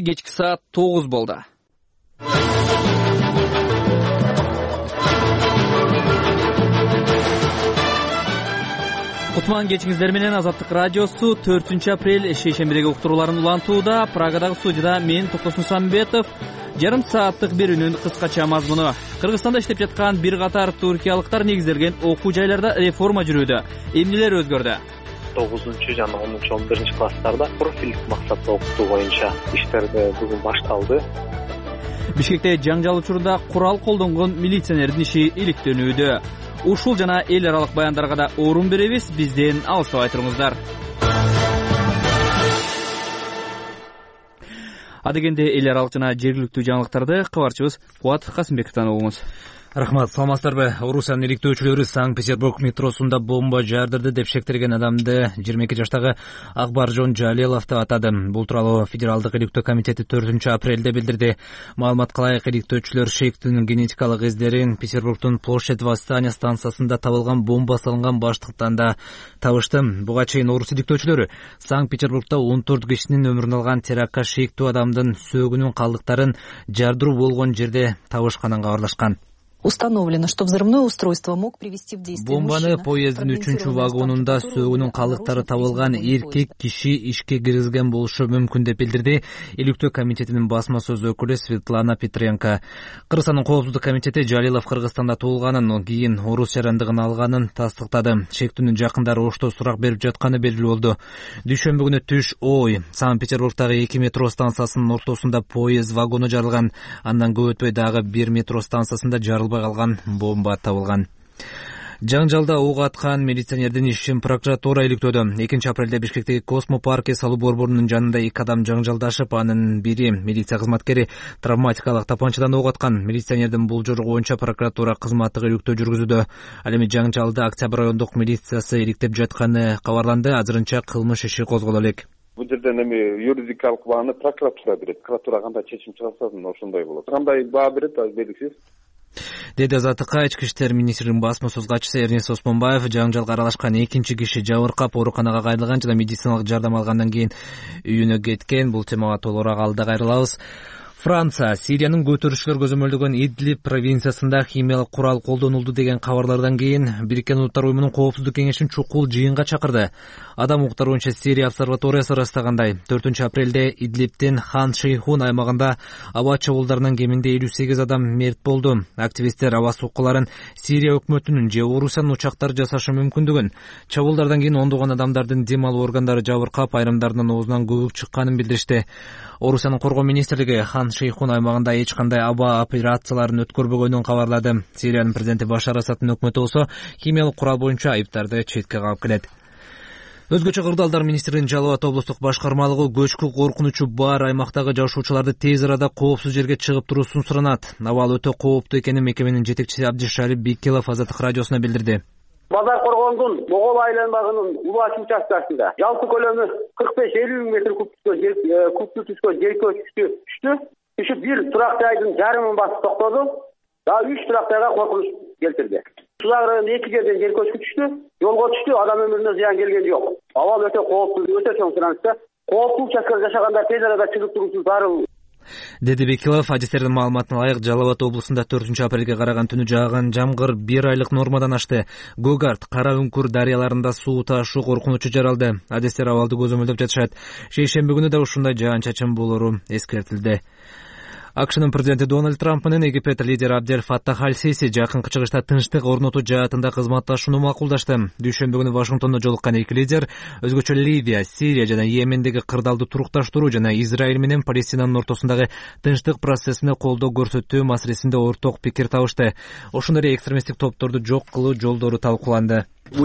кечки саат 9 болду. Кутман кечиңиздер менен Азаттык радиосу 4-апрель шейшембидеги уктурууларын улантууда. Прагадагы студияда мен Токтосун Самбетов. Жарым сааттык берүүнүн кыскача мазмуну. Кыргызстанда иштеп жаткан бир катар туркиялыктар негизделген окуу жайларда реформа жүрүүдө. Эмнелер өзгөрдү? 9 жана 10-11 класстарда профилдик максатта окутуу боюнча иштер бүгүн башталды. Бишкекте жаңжал учурунда курал колдонгон милиционердин иши иликтенүүдө. Ушул жана эл аралык баяндарга да орун беребиз. Бизден алыстабай туруңуздар. Адегенде эл аралык жана жергиликтүү жаңылыктарды кабарчыбыз Кубат Касымбековдон угуңуз. Рахмат, саламатсыздарбы? Орусиянын иликтөөчүлөрү Санкт-Петербург метросунда бомба жаардырды деп шектелген адамды 22 жаштагы Акбаржон Жалилов деп атады. Бул тууралуу Федералдык иликтөө комитети 4-апрелде билдирди. Маалыматка ылайык, иликтөөчүлөр шейктин генетикалык издерин Петербургдун Площадь Восстания станциясында табылган бомба салынган баштыктан да табышты. Буга чейин орус иликтөөчүлөрү Санкт-Петербургда 14 кишинин өмүрүн алган терактка шейктүү адамдын сөөгүнүн калдыктарын жардыруу болгон жерде табышканын кабарлашкан. Установлено, что взрывное устройство мог привести в действие бомбаны поезддин 3-вагонунда сөөгүнүн калдыктары табылган эркек киши ишке киргизген болушу мүмкүн деп билдирди иликтөө комитетинин басма сөз өкүлү Светлана Петренко. Кыргызстандын коопсуздук комитети Жалилов Кыргызстанда туулганын, кийин орус жарандыгын алганын тастыктады. Шектүүнүн жакындары ошто сурак берип жатканы белгилүү болду. Дүйшөмбү күнү түш Санкт-Петербургдагы 2 метро станциясынын ортосунда поезд вагону жарылган. Андан көп өтпөй дагы 1 метро станциясында жарылбай калган бомба табылган. Жаңжалда ок аткан милиционердин ишин прокуратура иликтөөдө. 2-апрелде Бишкектеги Космо-парке салуу борборунун жанында 2 адам жаңжалдашып, анын бири милиция кызматкери травматикалык тапанчадан ок аткан. Милиционердин бул жору боюнча прокуратура кызматтык иликтөө жүргүзүүдө. Ал эми жаңжалды Октябрь райондук милициясы иликтеп жатканы кабарланды. Азырынча кылмыш иши козголо элек. Бул жерден эми юридикалык бааны прокуратура берет. Прокуратура кандай чечим чыгарса ошондой болот. Кандай баа берет, белгисиз. Деди Азаттыкка ички иштер министринин басма сөз катчысы Эрнест Осмонбаев. Жаңжалга аралашкан 2 киши жабыркап ооруканага кайрылган жана медициналык жардам алгандан кийин үйүнө кеткен. Бул темага толугураак алда кайрылабыз. Франция Сириянын көтөрүшчүлөр көзөмөлдөгөн Идлиб провинциясында химиялык курал колдонулду деген кабарлардан кийин Бириккен Улуттар уюмунун коопсуздук кеңешин чукул жыйынга чакырды. Адам укуктары боюнча Сирия обсерваториясы ырастагандай, 4-апрелде Идлибтин Хан Шейхун аймагында аба чабуулдарынан кеминде 58 адам мерт болду. Активисттер аба соккуларын Сирия өкмөтүнүн же Орусиянын учактары жасашы мүмкүндүгүн, чабуулдардан кийин ондогон адамдардын дем алуу органдары жабыркап, айрымдарынын оозунан көбүк чыкканын билдиришти. Орусиянын коргоо министрлиги Хан Шейхун аймагында эч кандай аба операцияларын өткөрбөгөнүн кабарлады. Сириянын президенти Башар Асадтын өкмөтү болсо химиялык курал боюнча айыптарды четке кагып келет. Өзгөчө Кырдаалдар министринин Жалал Абад облустук башкармалыгы көчкү коркунучу бар аймактагы жашоочуларды тез арада коопсуз жерге чыгып туруусун суранат. Абал өтө кооптуу экенин мекеменин жетекчиси Абдишалип Бекилов Азаттык радиосуна билдирди. Базар Коргондун Могол айланмагынын Улач участкасында жалпы көлөмү 45-50 метр кубтуу түшкөн жер көчкү түшүп бир турак жайдын жарымын басып токтоду. Дагы 3 турак жайга коркунуч келтирди. Сулак районунда 2 жерден жер көчкү түштү, жолго түштү, адам өмүрүнө зыян келген жок. Абал өтө кооптуу, өтө чоң суранычта. Кооптуу участкада жашагандар тез арада чыгып туруусу зарыл. Деди Бекилов. Адистердин маалыматына ылайык, Жалал Абад облусунда 4-апрелге караган түнү жааган жамгыр 1 айлык нормадан ашты. Гогарт, Кара Үңкүр дарыяларында суу ташуу коркунучу жаралды. Адистер абалды көзөмөлдөп жатышат. Шейшемби күнү да ушундай жаан-чачын болору эскертилди. АКШнын президенти Дональд Трамп менен Египет лидери Абдель Фаттах Аль-Сиси жакынкы чыгышта тынчтык орнотуу жаатында кызматташууну макулдашты. Дүйшөмбү күнү Вашингтондо жолуккан эки лидер өзгөчө Ливия, Сирия жана Йемендеги кырдаалды турукташтыруу жана Израиль менен Палестинанын ортосундагы тынчтык процессине колдоо көрсөтүү маселесинде орток пикир табышты. Ошондой эле экстремисттик топторду жок кылуу жолдору талкууланды. Көп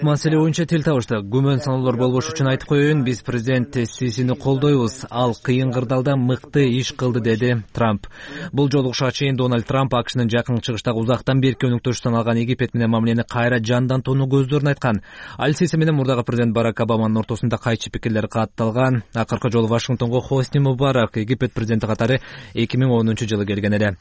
маселе боюнча тил табыштык. Күмөн саноолор болбош үчүн айтып коеюн, биз президент Сисини колдойбуз. Ал кыйын кырдаалда мыкты иш кылды, деди Трамп. Бул жолугушка чейин Дональд Трамп АКШнын жакынкы чыгыштагы узактан берки өнөктөш саналган Египет менен мамилени кайра жандантууну көздөрүн айткан. Аль-Сиси менен мурдагы президент Барак Обаманын ортосунда кайчы пикирлер катталган. Акыркы жолу Вашингтонго Хосни Мубарак Египет президенти катары 2010 жылы келген эле.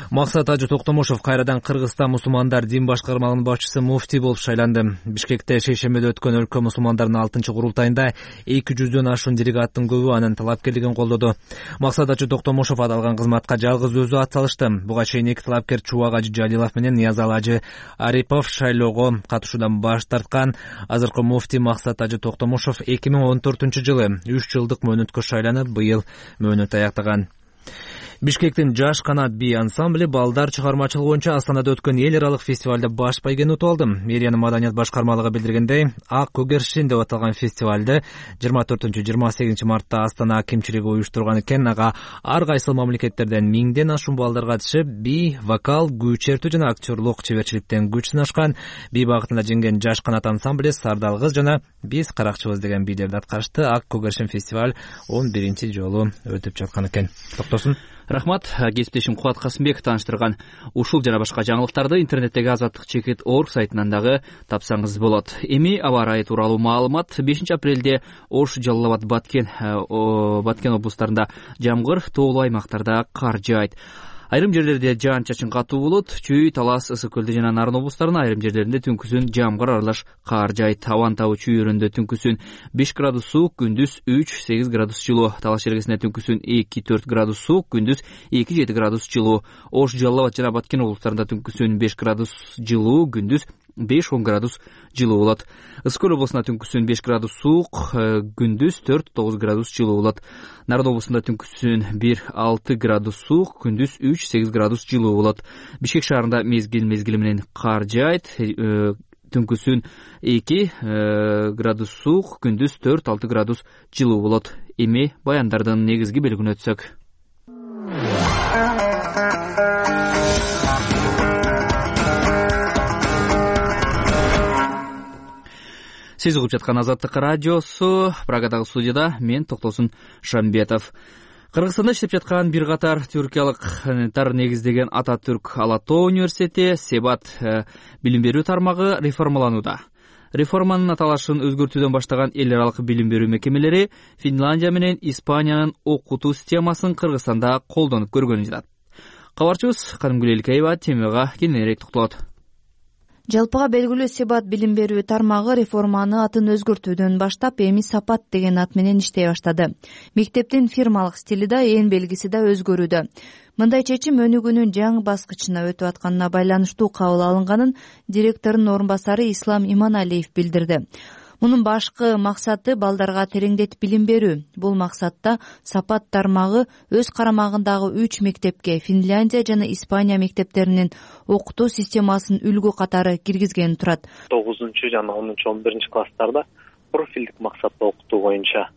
Максат Ажы Токтомушев кайрадан Кыргызстан мусулмандар дин башкармалыгынын башчысы муфтий болуп шайланды. Бишкекте шейшембиде өткөн өлкө мусулмандарынын 6-курултайында 200дөн ашуун делегаттын көбү анын талапкерлигин колдоду. Максат Ажы Токтомушев аталган кызматка жалгыз өзү ат салышты. Буга чейин эки талапкер Чубак Ажы Жалилов менен Ниязалы Ажы Арипов шайлоого катышуудан баш тарткан. Азыркы муфтий Максат Ажы Токтомушев 2014-жылы 3 жылдык мөөнөткө шайланып, быйыл мөөнөт аяктаган. Бишкектин Жаш канат би ансамбле балдар чыгармачылыгы боюнча Астанада өткөн эл аралык фестивалда баш байгени утуп алды. Мэриянын маданият башкармалыгы билдиргендей, Ак Көгершин деп аталган фестивалды 24-28 мартта Астана акимчилиги уюштурган экен. Ага ар кайсы мамлекеттерден миңден ашуун балдар катышып, би, вокал, күү чертүү жана актерлук чеберчиликтен күч сынашкан. Би багытында жеңген Жаш канат ансамбле Сардал кыз жана Биз каракчыбыз деген бийлерди аткарышты. Ак Көгершин фестиваль 11 жолу өтүп жаткан экен. Токтосун. Рахмат. Кесиптешим Кубат Касымбек тааныштырган ушул жана башка жаңылыктарды интернеттеги azatlyk.org сайтынан дагы тапсаңыз болот. Эми аба ырайы тууралуу маалымат. 5 апрелде Ош, Жалал Абад, Баткен облустарында жамгыр, тоолуу аймактарда кар жаайт. Айрым жерлерде жаан-чачын катуу болот. Чүй, Талас, Ысык көлдө жана Нарын облустарынын айрым жерлеринде түнкүсүн жамгыр аралаш кар жаайт. Абанын табы Чүй өрөндө түнкүсүн 5 градус суук, күндүз 3-8 градус жылуу. Талаш жергесинде түнкүсүн 2-4 градус суук, күндүз 2-7 градус жылуу. Ош, Жалал Абад жана Баткен облустарында түнкүсүн 5 градус жылуу, күндүз 5-10 градус жылуу болот. Ысык көл облусунда түнкүсүн 5 градус суук, күндүз 4-9 градус жылуу болот. Нарын облусунда түнкүсүн 1-6 градус суук, күндүз 3-8 градус жылуу болот. Бишкек шаарында мезгил менен кар жаайт. Түнкүсүн 2 градус суук, күндүз 4-6 градус жылуу болот. Эми баяндардын негизги белгине өтсөк. Сиз угуп жаткан Азаттык радиосу. Прагадагы студияда мен Токтосун Шамбетов. Кыргызстанда иштеп жаткан бир катар түркиялыктар негиздеген Ататүрк Ала Тоо университети Себат билим берүү тармагы реформаланууда. Реформанын аталышын өзгөртүүдөн баштаган эл аралык билим берүү мекемелери Финляндия менен Испаниянын окутуу системасын Кыргызстанда колдонуп көргөнүн жатат. Кабарчыбыз Карымгүл Элкеева темага кененирээк токтолот. Жалпыга белгилүү Себат билим берүү тармагы реформаны атын өзгөртүүдөн баштап, эми Сапат деген ат менен иштей баштады. Мектептин фирмалык стили да, эн белгиси да өзгөрүүдө. Мындай чечим өнүгүүнүн жаңы баскычына өтүп атканына байланыштуу кабыл алынганын директордун орун басары Ислам Иманалиев билдирди. Мунун башкы максаты балдарга тереңдетип билим берүү. Бул максатта Сапат тармагы өз карамагындагы 3 мектепке Финляндия жана Испания мектептеринин окутуу системасын үлгү катары киргизген турат. 9 жана 10-11 класстарда профилдик максатта окутуу боюнча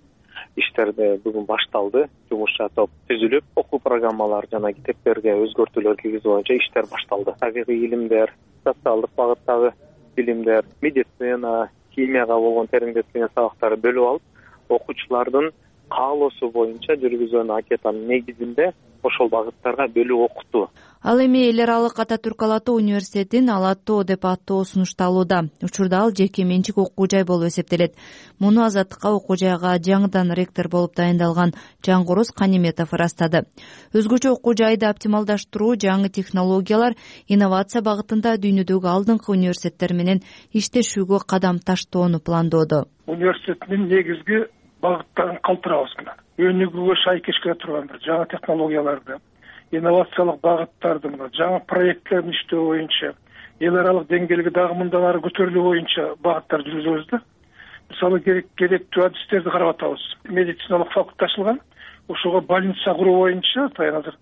иштерди бүгүн башталды. Жумушча топ түзүлүп, окуу программалары жана китептерге өзгөртүүлөр киргизүү боюнча иштер башталды. Табигый илимдер, социалдык багыттагы билимдер, медицина, химияга болгон тереңдетилген сабактарды бөлүп алып, окуучулардын каалоосу боюнча жүргүзгөн анкетанын негизинде ошол багыттарга бөлүп окутуу. Ал эми эл аралык Ататүрк Ала Тоо университетин Ала Тоо деп аттоо сунушталууда. Учурда ал жеке менчик окуу жай болуп эсептелет. Муну Азаттыкка окуу жайга жаңыдан ректор болуп дайындалган Жангороз Каниметов ырастады. Өзгөчө окуу жайды оптималдаштыруу, жаңы технологиялар, инновация багытында дүйнөдөгү алдыңкы университеттер менен иштешүүгө кадам таштоону пландоодо. Университеттин негизги багыттарын калтырабыз. Өнүгүүгө шайкеш келе турган жаңы технологияларды, инновациялык багыттарды, жаңы проектлерди иштөө боюнча, эл аралык деңгээлге дагы мындан ары көтөрүлүү боюнча багыттар жүргүзөбүз да. Мисалы керектүү адистерди карап атабыз. Медициналык факультет ачылган, ошого больница куруу боюнча азыр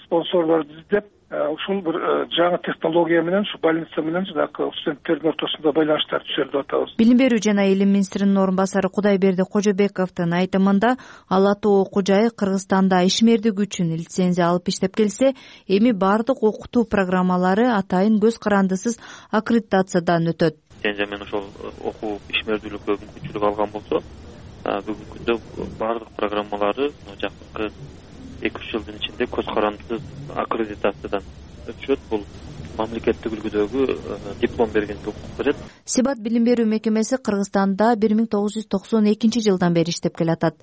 спонсорлорду издеп, ушул бир жаңы технология менен, ушу больница менен жанагы студенттердин ортосунда байланыштар түзөлүп атабыз. Билим берүү жана илим министринин орун басары Кудайберди Кожобековдун айтымында, Ала Тоо окуу жайы Кыргызстанда ишмердик үчүн лицензия алып иштеп келсе, эми бардык окутуу программалары атайын көз карандысыз аккредитациядан өтөт. Лицензия менен ошол окуу ишмердүүлүккө мүмкүнчүлүк алган болсо, бүгүнкү күндө бардык программалары жакынкы 2-3 жылдын ичинде көз карандысыз аккредитациядан өтүшөт. Бул мамлекеттик үлгүдөгү диплом бергенге укук берет. Себат билим берүү мекемеси Кыргызстанда 1992 жылдан бери иштеп келатат.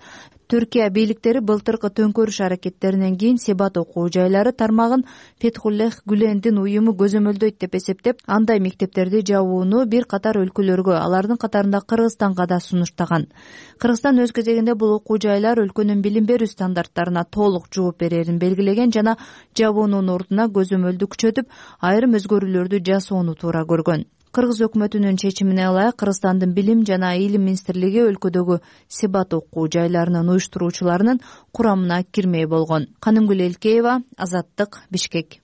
Түркия бийликтери былтыркы төңкөрүш аракеттеринен кийин Себат окуу жайлары тармагын Фетхуллех Гүлендин уюму көзөмөлдөйт деп эсептеп, андай мектептерди жабууну бир катар өлкөлөргө, алардын катарында Кыргызстанга да сунуштаган. Кыргызстан өз кезегинде бул окуу жайлар өлкөнүн билим берүү стандарттарына толук жооп берерин белгилеген жана жабуунун ордуна көзөмөлдү күчөтүп, айрым өзгөрүүлөрдү жасоону туура көргөн. Кыргыз өкмөтүнүн чечимине ылайык Кыргызстандын билим жана илим министрлиги өлкөдөгү Себат окуу жайларынын уюштуруучуларынын курамына кирмей болгон. Канымгүл Элкеева, Азаттык, Бишкек.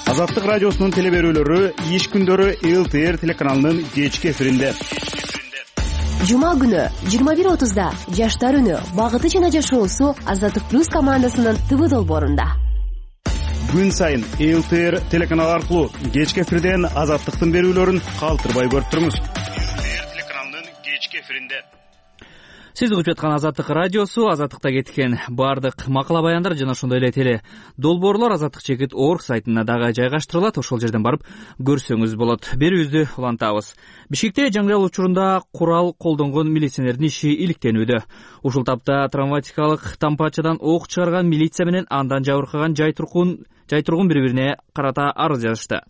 Азаттык радиосунун теле берүүлөрү иш күндөрү ЛТР телеканалынын кечки эфиринде. Жума күнү 21:30да Жаштар үнү багыты жана жашоосу Азаттык плюс командасынын ТВ долбоорунда. Күн сайын ЛТР телеканалы аркылуу кечки эфирден Азаттыктын берүүлөрүн калтырбай көрүп туруңуз. ЛТР телеканалынын кечки эфиринде. Сиз угуп жаткан Азаттык радиосу, Азаттыкта кеткен баардык макала баяндар жана ошондой эле теле долбоорлор Азаттык чекит орг сайтына дагы жайгаштырылат. Ошол жерден барып көрсөңүз болот. Берүүбүздү улантабыз. Бишкекте жаңжал учурунда курал колдонгон милиционердин иши иликтенүүдө. Ушул тапта травматикалык тампачадан ок чыгарган милиция менен андан жабыркаган жай тургун бири-бирине карата арыз жазышты.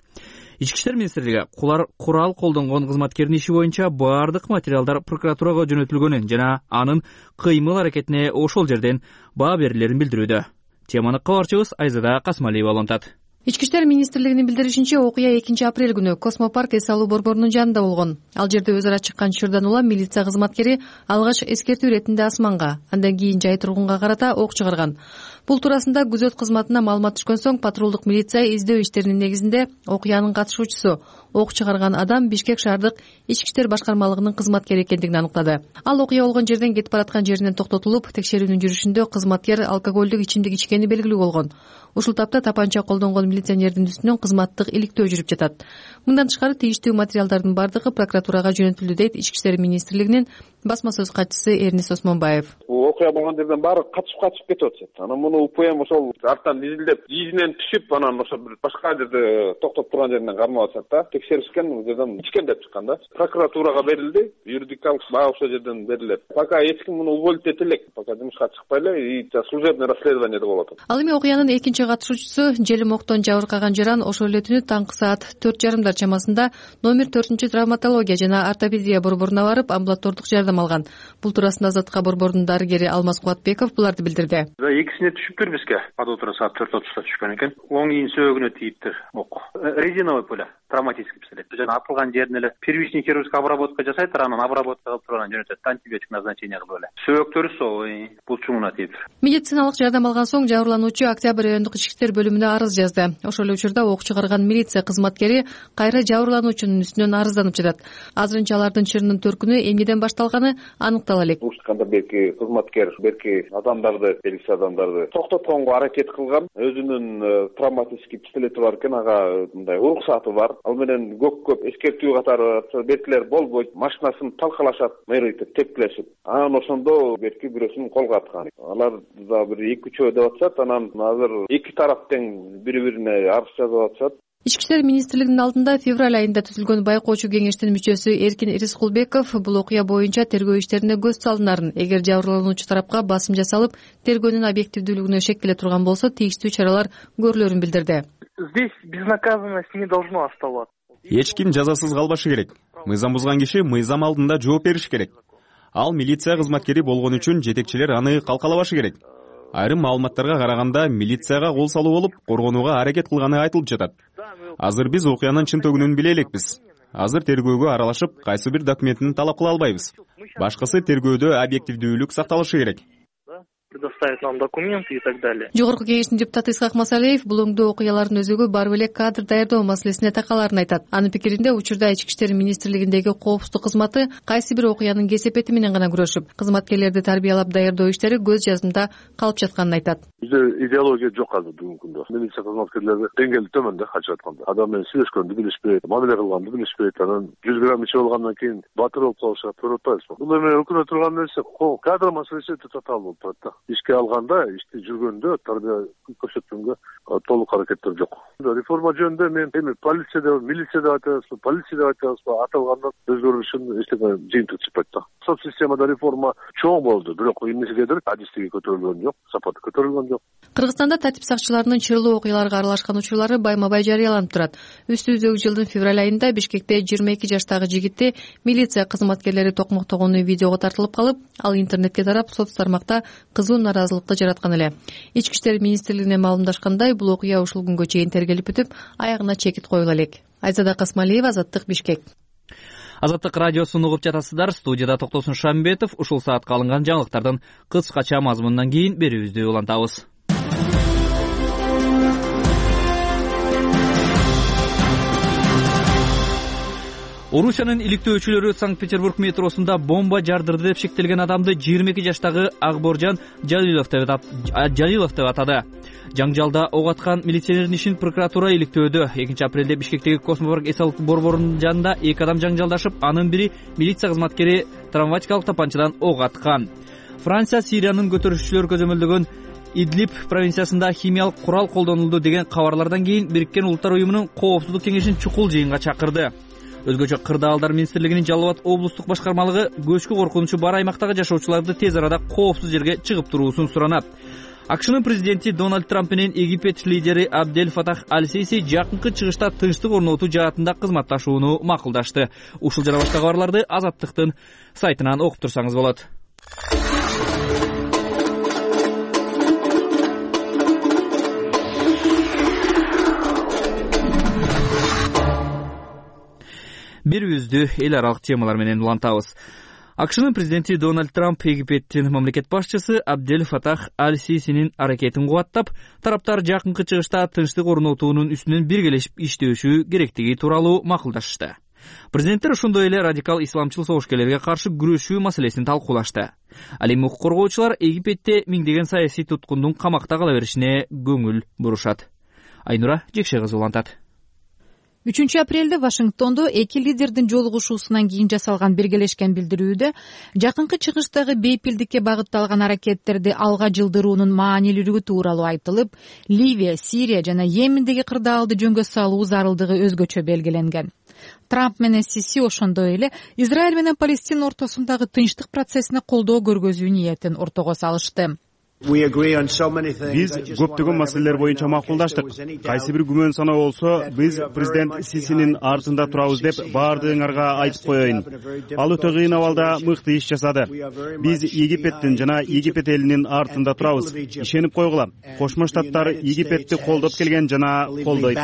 Ички иштер министрлиги курал колдонгон кызматкердин иши боюнча баардык материалдар прокуратурага жөнөтүлгөнүн жана анын кыймыл аракетине ошол жерден баа берилерин билдирүүдө. Теманы кабарчыбыз Айзада Касмалиева улантат. Ички иштер министрлигинин билдиришинче, окуя 2-апрель күнү Космопарк эс алуу борборунун жанында болгон. Ал жерде өз ара чыккан чырдан улам милиция кызматкери алгач эскертүү иретинде асманга, андан кийин жай тургунга карата ок чыгарган. Бул туурасында күзөт кызматына маалымат түшкөн соң патрулдук милиция издөө иштеринин негизинде окуянын катышуучусу, ок чыгарган адам Бишкек шаардык ички иштер башкармалыгынын кызматкери экендигин аныктады. Ал окуя болгон жерден кетип бараткан жеринен токтотулуп, текшерүүнүн жүрүшүндө кызматкер алкоголдук ичимдик ичкени белгилүү болгон. Ушул тапта тапанча колдонгон милиционердин үстүнөн кызматтык иликтөө жүрүп жатат. Мындан тышкары тийиштүү материалдардын бардыгы прокуратурага жөнөтүлдү дейт Ички иштер министрлигинин басма сөз катчысы Эрнис Осмонбаев. Окуя болгон жерден баары качып кетип атышат. Анан муну УПМ ошол арттан изилдеп, жийинен түшүп, анан ошо бир башка жерде токтоп турган жеринен кармап атышат да. Текшеришкен, бул жерден ичкен деп чыккан да. Прокуратурага берилди, юридикалык баа ошол жерден берилет. Пока эч ким муну уволить эте элек, пока жумушка чыкпай эле, и служебный расследованиеде болот. Ал эми окуянын экинчи катышуучусу желим октон жабыркаган жаран ошол эле түнү таңкы саат 4:30 чамасында номер 4 травматология жана ортопедия борборуна барып, амбулатордук жардам алган. Бул туурасында Азаттыкка борбордун дарыгери Алмаз Кубатбеков буларды билдирди. Экисине түшүптүр бизге. Адотура саат 4:30 түшкөн экен. Оң ийин сөөгүнө тийиптир ок. Резиновый пуля, травматический пистолет. Жана атылган жерин эле первичный хирургическая обработка жасайт, анан обработка кылып турган жөнөтөт, антибиотик назначение кылып эле. Сөөктөрү сол булчуңуна тийиптир. Медициналык жардам алган соң жабырлануучу Октябрь райондук ички иштер бөлүмүнө арыз жазды. Ошол эле учурда ок чыгарган милиция кызматкери кайра жабырлануучунун үстүнөн арызданып жатат. Азырынча алардын чырынын төркүнү эмнеден башталганы аныктала элек. Ушканда белки кызматкер, белки адамдарды, белгисиз адамдарды токтотконго аракет кылган. Өзүнүн травматический пистолети бар экен, ага мындай уруксаты бар. Ал менен көп эскертүү катары белгилер болбойт, машинасын талкалашат, мэритип тепкилешип. Анан ошондо белки бирөөсүн колго аткан. Алар да бир 2-3 деп атышат, анан азыр эки тарап тең бири-бирине арыз жазып атышат. Ички иштер министрлигинин алдында февраль айында түзүлгөн байкоочу кеңештин мүчөсү Эркин Ирискулбеков бул окуя боюнча тергөө иштерине көз салынарын, эгер жабырлануучу тарапка басым жасалып, тергөөнүн объективдүүлүгүнө шек келе турган болсо, тийиштүү чаралар көрүлөрүн билдирди. Здесь безнаказанность не должно оставаться. Эч ким жазасыз калбашы керек. Мыйзам бузган киши мыйзам алдында жооп бериши керек. Ал милиция кызматкери болгон үчүн жетекчилер аны калкалабашы керек. Айрым маалыматтарга караганда милицияга кол салуу болуп, коргонууга аракет кылганы айтылып жатат. Азыр биз окуянын чын төгүнүн биле элекпиз. Азыр тергөөгө аралашып, кайсы бир документин талап кыла албайбыз. Башкысы тергөөдө объективдүүлүк сакталышы керек. Предоставить нам документы и так далее. Жогорку кеңештин депутаты Исхак Масалиев бул оңдоо окуялардын өзөгү барып эле кадр даярдоо маселесине такаларын айтат. Анын пикиринде учурда Ички иштер министрлигиндеги коопсуздук кызматы кайсы бир окуянын кесепети менен гана күрөшүп, кызматкерлерди тарбиялап даярдоо иштери көз жаздымда калып жатканын айтат. Бизде идеология жок азыр бүгүнкү күндө. Милиция кызматкерлери деңгээли төмөн да качып атканда. Адам менен сүйлөшкөндү билишпейт, мамиле кылганды билишпейт, анан 100 грамм ичип алгандан кийин батыр болуп калышат, көрүп атпайбызбы? Бул эми өкүнө турган нерсе кадр маселеси татаал болуп турат да. Ишке ишке алганда, иште жүргөндө тарбия көрсөткөнгө толук аракеттер жок. Реформа жөнүндө мен эми полиция деп, милиция деп айтабызбы, полиция деп айтабызбы, аталгандан өзгөрүшүн эчтеке жыйынтык чыкпайт да. Соц системада реформа чоң болду, бирок эмнегедир адистиги көтөрүлгөн жок, сапаты көтөрүлгөн жок. Кыргызстанда тартип сакчыларынын чырлуу окуяларга аралашкан учурлары байма-бай жарыяланып турат. Өстүбүздөгү жылдын февраль айында Бишкекте 22 жаштагы жигитти милиция кызматкерлери токмоктогону видеого тартылып калып, ал интернетке тарап, соц тармакта кызуу нааразылыкты жараткан эле. Ички иштер министрлигине маалымдашкандай, бул окуя ушул күнгө чейин тергелип бүтүп, аягына чекит коюла элек. Айзада Касмалиева, Азаттык, Бишкек. Азаттык радиосун угуп жатасыздар. Студияда Токтосун Шамбетов. Ушул саатка алынган жаңылыктардын кыскача мазмунунан кийин берүүбүздү улантабыз. Орусиянын иликтөөчүлөрү Санкт-Петербург метросунда бомба жардырды деп шектелген адамды 22 жаштагы Акборжан Жалилов деп атады. Жаңжалда ок аткан милиционердин ишин прокуратура иликтөөдө. 2 апрелде Бишкектеги Космопарк эс-алык борборунун жанында 2 адам жаңжалдашып, анын бири милиция кызматкери травматикалык тапанчадан ок аткан. Франция Сириянын көтөрүшчүлөр көзөмөлдөгөн Идлиб провинциясында химиялык курал колдонулду деген кабарлардан кийин Бириккен Улуттар уюмунун коопсуздук кеңешин чукул жыйынга чакырды. Өзгөчө Кырдаалдар министрлигинин Жалал Абад облустук башкармалыгы көчкү коркунучу бар аймактагы жашоочуларды тез арада коопсуз жерге чыгып туруусун суранат. АКШнын президенти Дональд Трамп менен Египет лидери Абдель Фатах Аль-Сиси жакынкы чыгышта тынчтык орнотуу жаатында кызматташууну макулдашты. Ушул жана башка кабарларды Азаттыктын сайтынан окуп турсаңыз болот. Берүүбүздү эл аралык темалар менен улантабыз. АКШнын президенти Дональд Трамп Египеттин мамлекет башчысы Абдель Фатах Аль-Сисинин аракетин кубаттап, тараптар жакынкы чыгышта тынчтык орнотуунун үстүнөн биргелешип иштешүү керектиги тууралуу макулдашышты. Президенттер ошондой эле радикал исламчыл согушкерлерге каршы күрөшүү маселесин талкуулашты. Ал эми укук коргоочулар Египетте миңдеген саясий туткундун камакта кала беришине көңүл бурушат. Айнура Жекше кызы улантат. 3 апрелде Вашингтондо эки лидердин жолугушуусунан кийин жасалган биргелешкен билдирүүдө жакынкы чыгыштагы бейпилдикке багытталган аракеттерди алга жылдыруунун маанилүүлүгү тууралуу айтылып, Ливия, Сирия жана Йемендеги кырдаалды жөнгө салуу зарылдыгы өзгөчө белгиленген. Трамп менен Сиси ошондой эле Израиль менен Палестина ортосундагы тынчтык процессине колдоо көргөзүү ниетин ортого салышты. Биз көптөгөн маселелер боюнча макулдаштык. Кайсы бир күмөн саноо болсо, биз президент Сисинин артында турабыз деп баардыгыңарга айтып коеюн. Ал өтө кыйын абалда мыкты иш жасады. Биз Египеттин жана Египет элинин артында турабыз. Ишенип койгула. Кошмо Штаттар Египетти колдоп келген жана колдойт,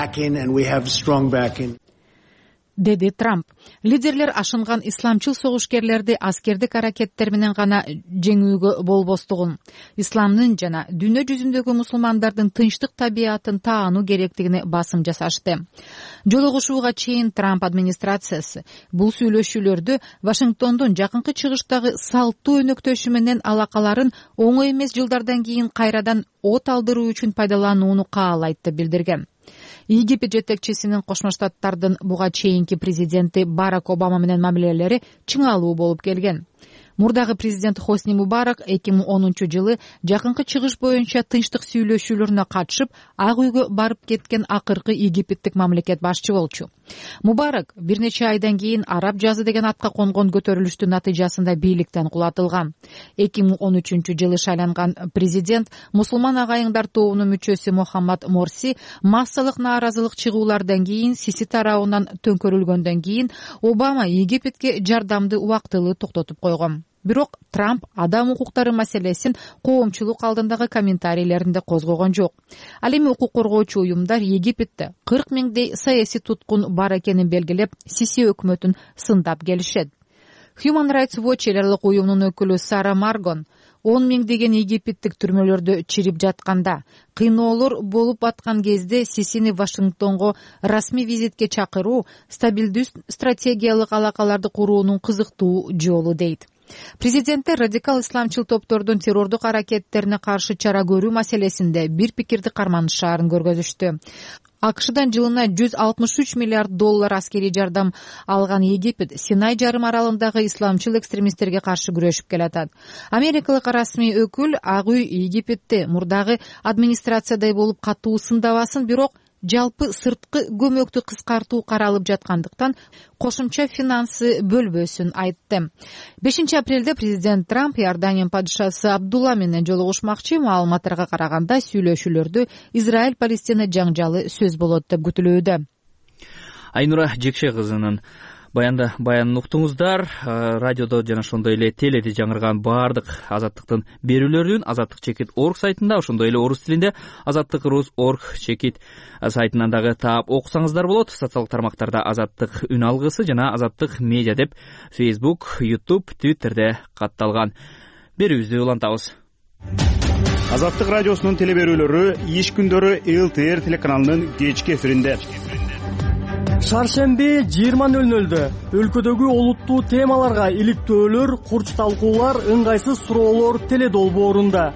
деди Трамп. Лидерлер ашынган исламчыл согушкерлерди аскердик аракеттер менен гана жеңүүгө болбостугун, исламдын жана дүйнө жүзүндөгү мусулмандардын тынчтык табиятын таануу керектигине басым жасашты. Жолугушууга чейин Трамп администрациясы бул сүйлөшүүлөрдү Вашингтондун жакынкы чыгыштагы салттуу өнөктөшү менен алакаларын оңой эмес жылдардан кийин кайрадан от алдыруу үчүн пайдаланууну каалайт деп билдирген. Египет жетекчисинин Кошмо Штаттардын буга чейинки президенти Барак Обама менен мамилелери чыңалуу болуп келген. Мурдагы президент Хосни Мубарак 2010-жылы жакынкы чыгыш боюнча тынчтык сүйлөшүүлөрүнө катышып, Ак үйгө барып кеткен акыркы египеттик мамлекет башчы болчу. Мубарак бир нече айдан кийин Араб жазы деген атка конгон көтөрүлүштүн натыйжасында бийликтен кулатылган. 2013-жылы шайланган президент мусулман агайыңдар тобунун мүчөсү Мохаммад Морси массалык нааразылык чыгуулардан кийин Сиси тарабынан төңкөрүлгөндөн кийин Обама Египетке жардамды убактылуу токтотуп койгон. Бирок Трамп адам укуктары маселесин коомчулук алдындагы комментарийлеринде козгогон жок. Ал эми укук коргоочу уюмдар Египетте 40 миңдей саясий туткун бар экенин белгилеп, Сиси өкмөтүн сындап келишет. Human Rights Watch эл аралык уюмунун өкүлү Сара Маргон 10 миңдеген египеттик түрмөлөрдө чирип жатканда, кыйноолор болуп аткан кезде Сисини Вашингтонго расмий визитке чакыруу стабилдүү стратегиялык алакаларды куруунун кызыктуу жолу дейт. Президенттер радикал исламчыл топтордун террордук аракеттерине каршы чара көрүү маселесинде бир пикирди карманышаарын көргөзүштү. акшдан жылына $163 миллиард аскерий жардам алган Египет Синай жарым аралындагы исламчыл экстремисттерге каршы күрөшүп келатат. Америкалык расмий өкүл Ак үй Египетти мурдагы администрациядай болуп катуу сындабасын, бирок жалпы сырткы көмөктү кыскартуу каралып жаткандыктан кошумча финансы бөлбөсүн айтты. 5-апрелде президент Трамп Иордания падышасы Абдулла менен жолугушмакчы. Маалыматтарга караганда сүйлөшүүлөрдө Израиль-Палестина жаңжалы сөз болот деп күтүлүүдө. Айнура Жекше кызынын баянын уктуңуздар. Радиодо жана ошондой эле теледе жаңырган баардык Азаттыктын берүүлөрүн azattik.org сайтында, ошондой эле орус тилинде azattik.org сайтынан дагы таап окусаңыздар болот. Социалдык тармактарда Азаттык үн алгысы жана Азаттык медиа деп Facebook, YouTube, Twitterде катталган. Берүүбүздү улантабыз. Азаттык радиосунун телеберүүлөрү иш күндөрү ЛТР телеканалынын кечки эфиринде. Шаршемби 20:00 өлкөдөгү олуттуу темаларга иликтөөлөр, курч талкуулар, ыңгайсыз суроолор теледолбоорунда.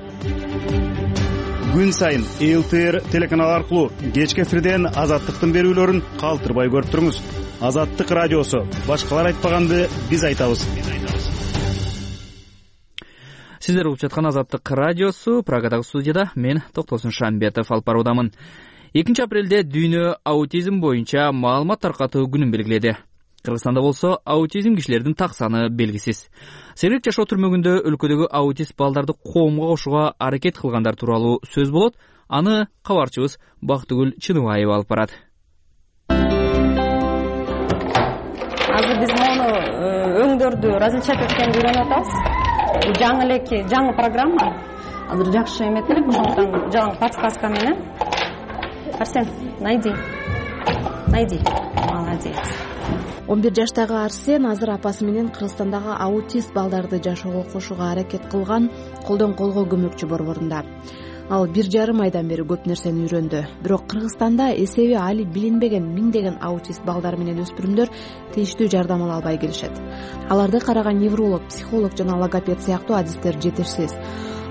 Күн сайын ЛТР телеканалы аркылуу кечки эфирден Азаттыктын берүүлөрүн калтырбай көрүп туруңуз. Азаттык радиосу. Башкалар айтпаганды биз айтабыз. Сиздер угуп жаткан Азаттык радиосу. Прагадагы студияда мен Токтосун Шамбетов алып баруудамын. 2-апрелде дүйнө аутизм боюнча маалымат таркатуу күнүн белгиледи. Кыргызстанда болсо аутизм кишилердин так саны белгисиз. Сергек жашоо түрмөгүндө өлкөдөгү аутист балдарды коомго кошууга аракет кылгандар тууралуу сөз болот. Аны кабарчыбыз Бактыгүл Чыныбаева алып барат. Азыр биз мону өңдөрдү различать эткенди үйрөнүп атабыз. Жаңы программа. Азыр жакшы эметелик, ошондуктан жаңы подсказка менен Арсен, найди. Молодец. 11 жаштагы Арсен азыр апасы менен Кыргызстандагы аутист балдарды жашоого кошууга аракет кылган колдон колго көмөкчү борборунда. Ал 1,5 айдан бери көп нерсени үйрөндү. Бирок Кыргызстанда эсеби али билинбеген миңдеген аутист балдар менен өспүрүмдөр тийиштүү жардам ала албай келишет. Аларды караган невролог, психолог жана логопед сыяктуу адистер жетишсиз.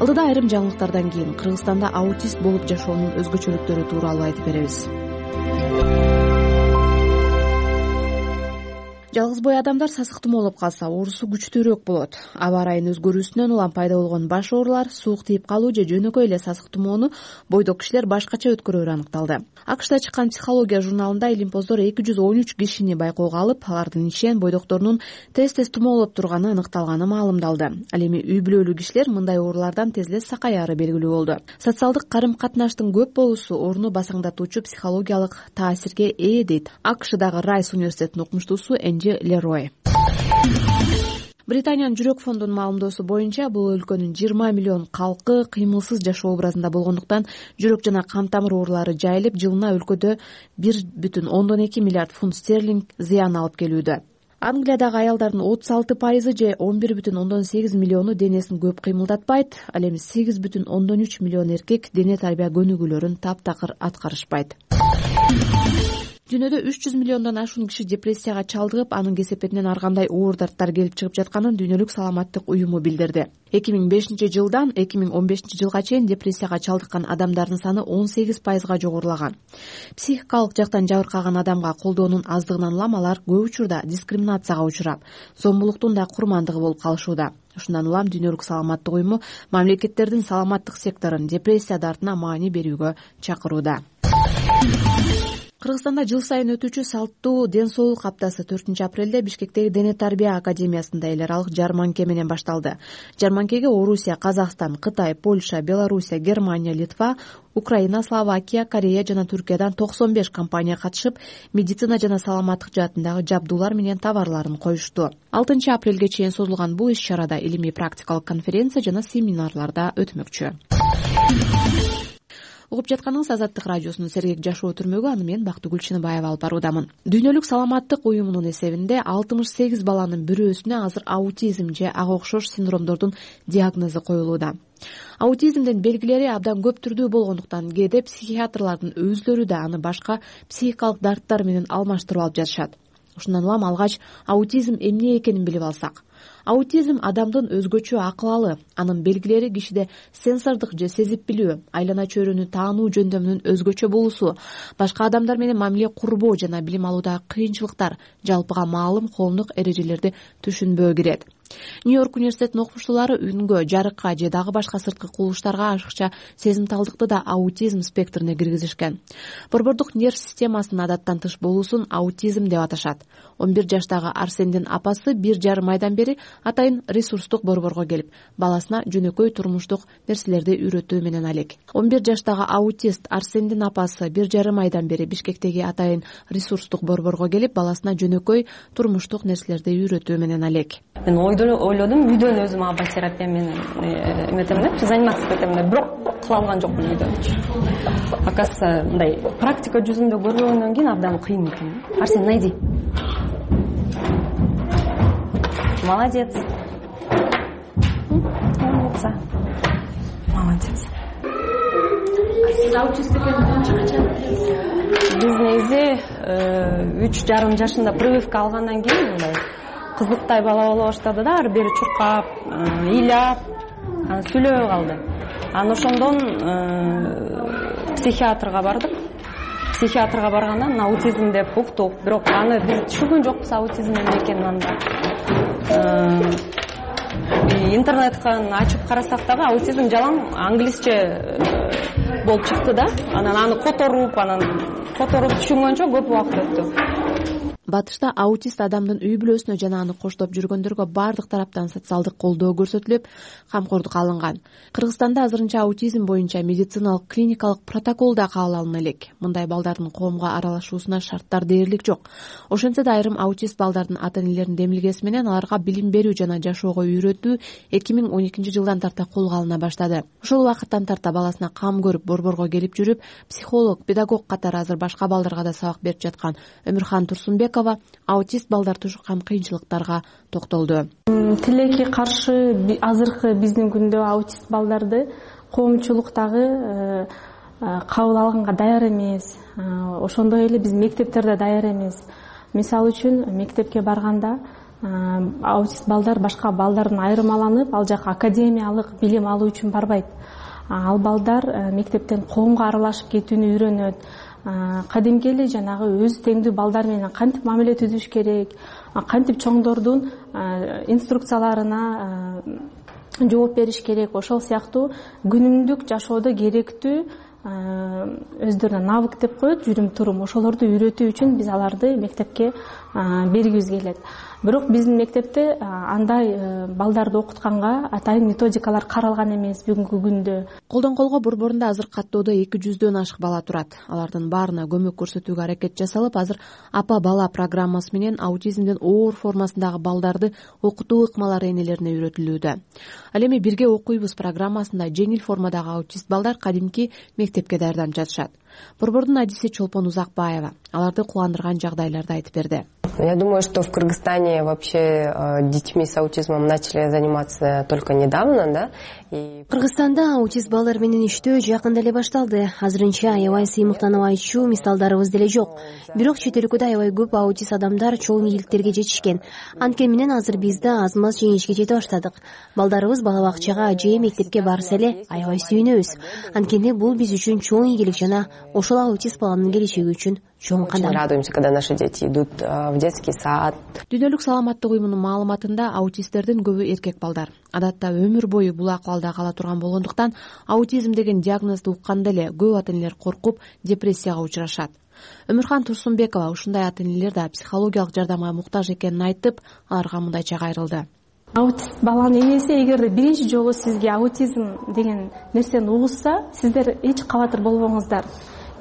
Алдыда айрым жаңылыктардан кийин Кыргызстанда аутист болуп жашоонун өзгөчөлүктөрү тууралуу айтып беребиз. Жалгыз бой адамдар сасык тумоолоп калса, оорусу күчтүүрөөк болот. Аба ырайынын өзгөрүүсүнөн улам пайда болгон баш оорулар, суук тийип калуу же жөнөкөй эле сасык тумоону бойдок кишилер башкача өткөрөөрү аныкталды. АКШда чыккан психология журналында илимпоздор 213 кишини байкоого алып, алардын ишен бойдокторунун тез тумоолоп турганы аныкталганы маалымдалды. Ал эми үй бүлөлүү кишилер мындай оорулардан тез эле сакаяры белгилүү болду. Социалдык карым-катнаштын көп болуусу орунду басаңдатуучу психологиялык таасирге ээ дейт АКШдагы Райс университетинин окумуштуусу Лерой. Британиянын жүрөк фондунун маалымдоосу боюнча бул өлкөнүн 20 миллион калкы кыймылсыз жашоо образында болгондуктан жүрөк жана кан тамыр оорулары жайылып, жылына өлкөдө 1,2 миллиард фунт стерлинг зыян алып келүүдө. Англиядагы аялдардын 36% же 11,8 миллиону денесин көп кыймылдатпайт, ал эми 8,3 миллион эркек дене тарбия көнүгүүлөрүн таптакыр аткарышпайт. Дүйнөдө 300 миллиондон ашуун киши депрессияга чалдыгып, анын кесепетинен ар кандай оор дарттар келип чыгып жатканын Дүйнөлүк саламаттык уюму билдирди. 2005-жылдан 2015-жылга чейин депрессияга чалдыккан адамдардын саны 18%га жогорулаган. Психикалык жактан жабыркаган адамга колдоонун аздыгынан улам алар көп учурда дискриминацияга учурап, зомбулуктун да курмандыгы болуп калышууда. Ушундан улам Дүйнөлүк саламаттык уюму мамлекеттердин саламаттык секторун депрессия дартына маани берүүгө чакырууда. Кыргызстанда жыл сайын өтүүчү салттуу ден соолук аптасы 4-апрелде Бишкектеги Дене тарбия академиясында эл аралык жарманке менен башталды. Жарманкеге Орусия, Казакстан, Кытай, Польша, Белоруссия, Германия, Литва, Украина, Словакия, Корея жана Түркиядан 95 компания катышып, медицина жана саламаттык жаатындагы жабдуулар менен товарларын коюшту. 6-апрелге чейин созулган бул иш-чарада илимий практикалык конференция жана семинарларда өтмөкчү. Угуп жатканыңыз Азаттык радиосунун Сергек жашоо түрмөгү, аны мен Бактыгүл Чыныбаева алып баруудамын. Дүйнөлүк саламаттык уюмунун эсебинде 68 баланын бирөөсүнө азыр аутизм же ага окшош синдромдордун диагнозу коюлууда. Аутизмдин белгилери абдан көп түрдүү болгондуктан кээде психиатрлардын өзлөрү да аны башка психикалык дарттар менен алмаштырып алып жатышат. Ушундан улам алгач аутизм эмне экенин билип алсак, Аутизм адамдын өзгөчө акыбалы, анын белгилери кишиде сенсордук же сезип билүү, айлана чөйрөнү таануу жөндөмүнүн өзгөчө болуусу, башка адамдар менен мамиле курбоо жана билим алуудагы кыйынчылыктар, жалпыга маалым коомдук эрежелерди түшүнбөө кирет. Нью-Йорк университетинин окумуштуулары үнгө, жарыкка же дагы башка сырткы кубулуштарга ашыкча сезимталдыкты да аутизм спектрине киргизишкен. Борбордук нерв системасынын адаттан тыш болуусун аутизм деп аташат. 11 жаштагы Арсендин апасы 1,5 айдан бери атайын ресурстук борборго келип, баласына жөнөкөй турмуштук нерселерди үйрөтүү менен алек. 11 жаштагы аутист Арсендин апасы 1,5 айдан бери Бишкектеги атайын ресурстук борборго келип, баласына жөнөкөй турмуштук нерселерди үйрөтүү менен алек. Мен ойлодум, үйдөн өзүм аба терапия менен эметем деп, заниматься этем деп, бирок кыла алган жокмун үйдөн. Оказывается, мындай практика жүзүндө көргөндөн кийин абдан кыйын экен. Арсен, найди. Молодец. Умница. Молодец. Сиз аутист экениңизди качан билдиңиз? Биз негизи 3,5 жашында прививка алгандан кийин мындай кызыктай бала боло баштады да, ары бери чуркап, ыйлап, анан сүйлөбөй калды. Анан ошондон психиатрга бардык. Психиатрга баргандан аутизм деп уктук, бирок аны биз түшүнгөн жокпуз аутизм эмне экенин анда. Интернеттен ачып карасак дагы аутизм жалаң англисче болуп чыкты да. Анан аны которуп түшүнгөнчө көп убакыт өттү. Батышта аутист адамдын үй бүлөсүнө жана аны коштоп жүргөндөргө бардык тараптан социалдык колдоо көрсөтүлүп, камкордук алынган. Кыргызстанда азырынча аутизм боюнча медициналык клиникалык протокол да кабыл алына элек. Мындай балдардын коомго аралашуусуна шарттар дээрлик жок. Ошентсе да айрым аутист балдардын ата-энелеринин демилгеси менен аларга билим берүү жана жашоого үйрөтүү 2012 жылдан тарта колго алына баштады. Ошол убакыттан тарта баласына кам көрүп, борборго келип жүрүп, психолог, педагог катары азыр башка балдарга да сабак берип жаткан Өмүрхан Турсунбеков аутист балдар тушкан кыйынчылыктарга токтолду. Тилекке каршы азыркы биздин күндө аутист балдарды коомчулуктагы кабыл алганга даяр эмес. Ошондой эле биз мектептерде даяр эмес. Мисалы үчүн мектепке барганда аутист балдар башка балдардан айырмаланып, ал жака академиялык билим алуу үчүн барбайт. Ал балдар мектептен коомго аралашып кетүүнү үйрөнөт. Кадимки эле жанагы өз теңдүү балдар менен кантип мамиле түзүш керек, кантип чоңдордун инструкцияларына жооп бериш керек, ошол сыяктуу күнүмдүк жашоодо керектүү өздөрүнө навык деп коет, жүрүм турум, ошолорду үйрөтүү үчүн биз аларды мектепке бергибиз келет. Бирок биздин мектепте андай балдарды окутканга атайын методикалар каралган эмес бүгүнкү күндө. Колдон колго борборунда азыр каттоодо 200дөн ашык бала турат. Алардын баарына көмөк көрсөтүүгө аракет жасалып, азыр апа бала программасы менен аутизмдин оор формасындагы балдарды окутуу ыкмалары энелерине үйрөтүлүүдө. Ал эми бирге окуйбуз программасында жеңил формадагы аутист балдар кадимки мектепке даярданып жатышат. Борбордун адиси Чолпон Узакбаева аларды кубандырган жагдайларды айтып берди. Я думаю, что в Кыргызстане вообще детьми с аутизмом начали заниматься только недавно, да? Кыргызстанда аутист балдар менен иштөө жакында эле башталды. Азырынча аябай сыймыктанабайчу мисалдарыбыз деле жок. Бирок чет өлкөдө аябай көп аутист адамдар чоң ийгиликтерге жетишкен. Анткени менен азыр биз да аз-маз жеңишке жете баштадык. Балдарыбыз бала бакчага же мектепке барса эле аябай сүйүнөбүз. Анткени бул биз үчүн чоң ийгилик жана ошол аутист баланын келечеги үчүн чоң кадам. Радуемся, когда наши дети идут в детский сад. Дүйнөлүк саламаттык уюмунун маалыматында аутисттердин көбү эркек балдар. Адатта өмүр бою бул акыбалда кала турган болгондуктан аутизм деген диагнозду укканда эле көп ата-энелер коркуп, депрессияга учурашат. Өмүрхан Турсунбекова ушундай ата-энелер да психологиялык жардамга муктаж экенин айтып, аларга мындайча кайрылды. Аутист баланын энеси эгерде биринчи жолу сизге аутизм деген нерсени угушса, сиздер эч кабатыр болбоңуздар.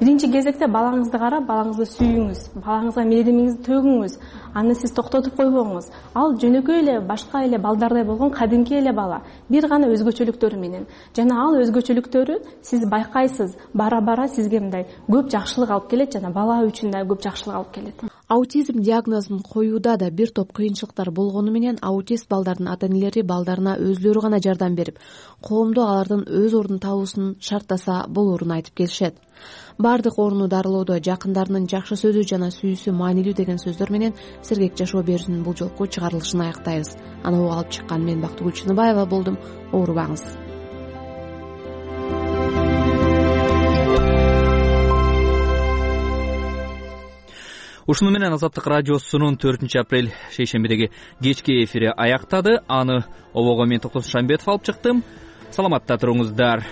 Биринчи кезекте балаңызды карап, балаңызды сүйүңүз, балаңызга мээримиңизди төгүңүз, аны сиз токтотуп койбоңуз. Ал жөнөкөй эле башка эле балдардай болгон кадимки эле бала, бир гана өзгөчөлүктөрү менен. Жана ал өзгөчөлүктөрү сиз байкайсыз, бара-бара сизге мындай көп жакшылык алып келет жана бала үчүн да көп жакшылык алып келет. аутизм диагнозун коюуда да бир топ кыйынчылыктар болгону менен аутист балдардын ата энелери балдарына өзүлөрү гана жардам берип, коомдо алардын өз ордун табуусун шарттаса болоорун айтып келишет. Бардык ооруну дарылоодо жакындарынын жакшы сөзү жана сүйүүсү маанилүү деген сөздөр менен Сергек жашоо берүүсүнүн бул жолку чыгарылышын аяктайбыз. Аны угуп алып чыккан мен Бактыгүл Чыныбаева болдум. Оорубаңыз. Ушуну менен Азаттык радиосунун 4-апрель шейшембидеги кечки эфири аяктады. Аны обого мен Токтосун Шамбетов алып чыктым. Саламатта туруңуздар.